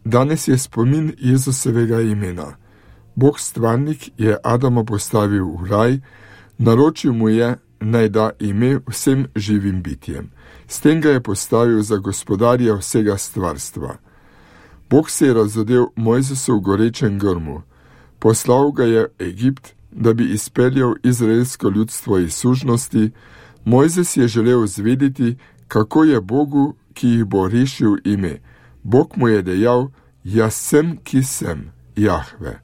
Danes je spomin Jezusovega imena. Bog stvarnik je Adama postavil v raj, naročil mu je, naj da ime vsem živim bitjem. S tem ga je postavil za gospodarja vsega stvarstva. Bog se je razodel Mojzesu v gorečem grmu. Poslal ga je v Egipt, da bi izpeljal izraelsko ljudstvo iz sužnosti. Mojzes je želel zvedeti, kako je Bogu, ki jih bo rešil, ime. Bog mu je dejal, jaz sem, ki sem, Jahve.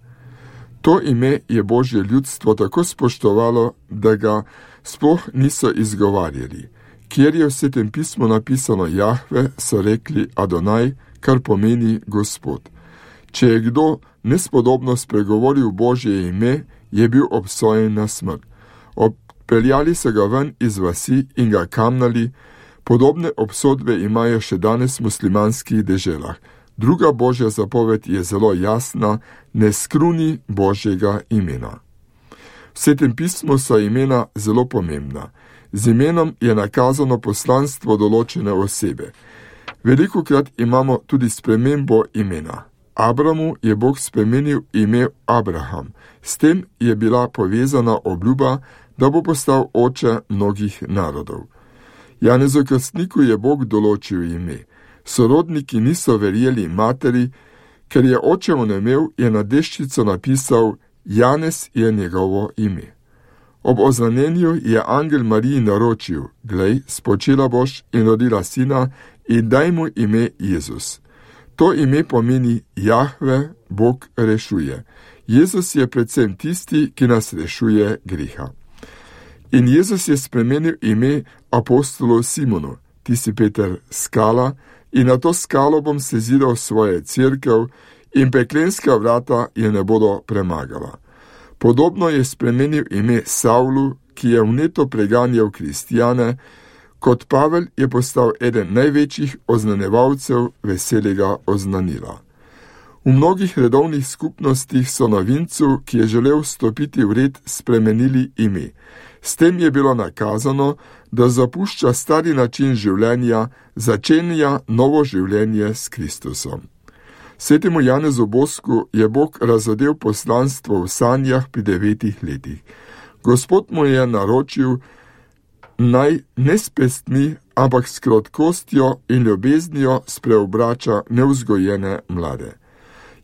To ime je Božje ljudstvo tako spoštovalo, da ga sploh niso izgovarjali. Kjer je v Svetem pismu napisano Jahve, so rekli Adonaj, kar pomeni Gospod. Če je kdo nespodobno spregovoril Božje ime, je bil obsojen na smrt. Odpeljali so ga ven iz vasi in ga kamnali. Podobne obsodbe imajo še danes v muslimanskih deželah. Druga Božja zapoved je zelo jasna, ne skruni Božjega imena. V Svetem pismu so imena zelo pomembna. Z imenom je nakazano poslanstvo določene osebe. Velikokrat imamo tudi spremembo imena. Abramu je Bog spremenil ime Abraham. S tem je bila povezana obljuba, da bo postal oče mnogih narodov. Janezu Krstniku je Bog določil ime. Sorodniki niso verjeli materi, ker je oče onemel, je na deščico napisal, Janez je njegovo ime. Ob oznanjenju je angel Mariji naročil, glej, spočela boš in rodila sina in daj mu ime Jezus. To ime pomeni Jahve, Bog rešuje. Jezus je predvsem tisti, ki nas rešuje greha. In Jezus je spremenil ime apostolu Simonu, ti si Peter skala, in na to skalo bom seziral svoje cerkev in peklenska vrata je ne bodo premagala. Podobno je spremenil ime Savlu, ki je vneto preganjal kristjane, kot Pavel je postal eden največjih oznanevalcev veselega oznanila. V mnogih redovnih skupnostih so novincu, ki je želel stopiti v red, spremenili ime. S tem je bilo nakazano, da zapušča stari način življenja, začenja novo življenje s Kristusom. Svetemu Janezu Bosku je Bog razodel poslanstvo v sanjah pri 9 letih. Gospod mu je naročil, naj ne s pestmi, ampak s krotkostjo in ljubeznijo spreobrača nevzgojene mlade.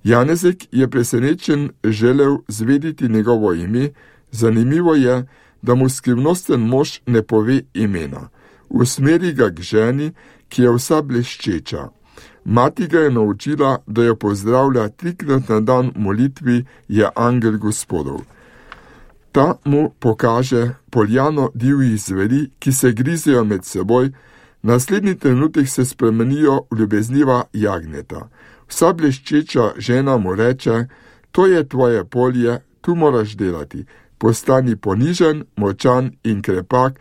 Janezek je presenečen želel zvedeti njegovo ime, zanimivo je, da mu skrivnosten mož ne pove imena. Usmeri ga k ženi, ki je vsa bleščeča. Mati ga je naučila, da jo pozdravlja 3-krat na dan v molitvi, je angel Gospodov. Ta mu pokaže poljano divjih zveri, ki se grizejo med seboj, naslednji trenutek se spremenijo v ljubezniva jagnjeta. Vsa bleščeča žena mu reče, to je tvoje polje, tu moraš delati. Postani ponižen, močan in krepak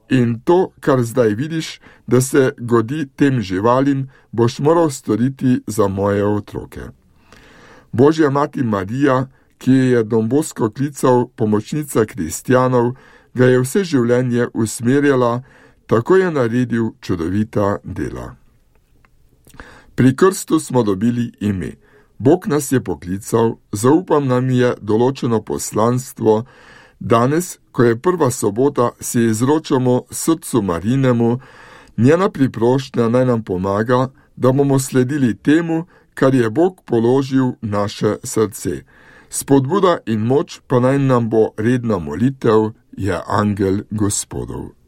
in to, kar zdaj vidiš, da se godi tem živalim, boš moral storiti za moje otroke. Božja mati Marija, ki je Don Bosco klical pomočnica kristjanov, ga je vse življenje usmerjala, tako je naredil čudovita dela. Pri krstu smo dobili ime. Bog nas je poklical, zaupam nam je določeno poslanstvo. Danes, ko je prva sobota, si izročamo srcu Marinemu, njena priprošnja naj nam pomaga, da bomo sledili temu, kar je Bog položil v naše srce. Spodbuda in moč pa naj nam bo redna molitev, je angel Gospodov.